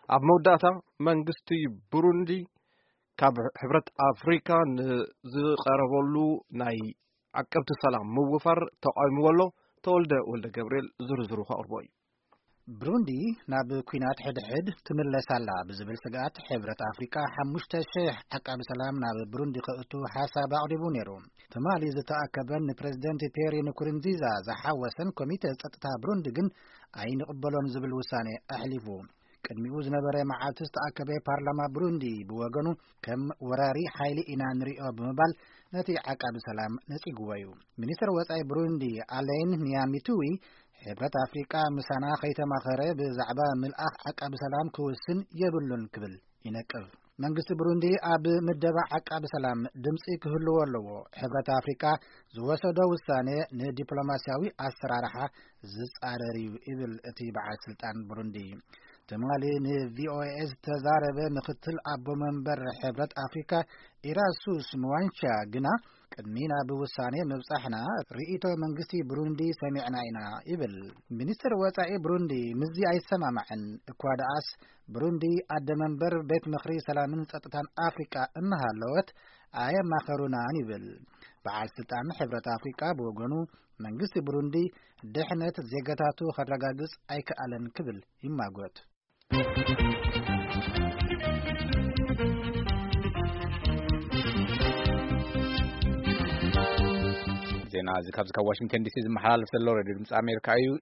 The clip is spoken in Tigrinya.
ኣብ መወዳእታ መንግስቲ ብሩንዲ ካብ ሕብረት ኣፍሪካ ንዝቐረበሉ ናይ ዓቀብቲ ሰላም ምውፋር ተቓዊምዎ ኣሎ። ተወልደ ወልደ ገብርኤል ዝርዝሩ ከቕርቦ እዩ። ብሩንዲ ናብ ኲናት ሕድሕድ ትምለስ ኣላ ብዝብል ስግኣት ሕብረት ኣፍሪቃ ሓሙሽተ ሽሕ ዓቃቢ ሰላም ናብ ብሩንዲ ከእቱ ሓሳብ ኣቕሪቡ ነይሩ። ትማሊ ዝተኣከበን ንፕሬዝደንት ፒየሪ ንኩርንዚዛ ዝሓወሰን ኮሚተ ጸጥታ ብሩንዲ ግን ኣይንቕበሎን ዝብል ውሳኔ ኣሕሊፉ። ቅድሚኡ ዝነበረ መዓልቲ ዝተኣከበ ፓርላማ ብሩንዲ ብወገኑ ከም ወራሪ ሓይሊ ኢና ንሪኦ ብምባል ነቲ ዓቃቢ ሰላም ነጺግዎ እዩ። ሚኒስትር ወጻኢ ብሩንዲ ኣሌን ኒያሚቱዊ ሕብረት ኣፍሪቃ ምሳና ከይተማኸረ ብዛዕባ ምልኣኽ ዓቃቢ ሰላም ክውስን የብሉን ክብል ይነቅፍ። መንግስቲ ብሩንዲ ኣብ ምደባ ዓቃቢ ሰላም ድምፂ ክህልዎ ኣለዎ። ሕብረት ኣፍሪቃ ዝወሰዶ ውሳኔ ንዲፕሎማሲያዊ ኣሰራርሓ ዝጻረር እዩ ይብል እቲ በዓል ስልጣን ብሩንዲ። ትማሊ ንቪኦኤ ዝተዛረበ ምክትል ኣቦ መንበር ሕብረት ኣፍሪካ ኢራሱስ ምዋንቻ ግና ቅድሚ ናብ ውሳኔ ምብጻሕና ርእይቶ መንግስቲ ብሩንዲ ሰሚዕና ኢና ይብል። ሚኒስትር ወጻኢ ብሩንዲ ምስዚ ኣይሰማማዕን። እኳ ደኣስ ብሩንዲ ኣደ መንበር ቤት ምኽሪ ሰላምን ጸጥታን ኣፍሪቃ እናሃለወት ኣየማኸሩናን ይብል። በዓል ስልጣን ሕብረት ኣፍሪቃ ብወገኑ መንግስቲ ብሩንዲ ድሕነት ዜጋታቱ ከረጋግጽ ኣይከኣለን ክብል ይማጎት። ዜና እዚ ካብዚ ካብ ዋሽንግተን ዲሲ ዝመሓላለፍ ዘሎ ሬድዮ ድምፂ ኣሜሪካ እዩ።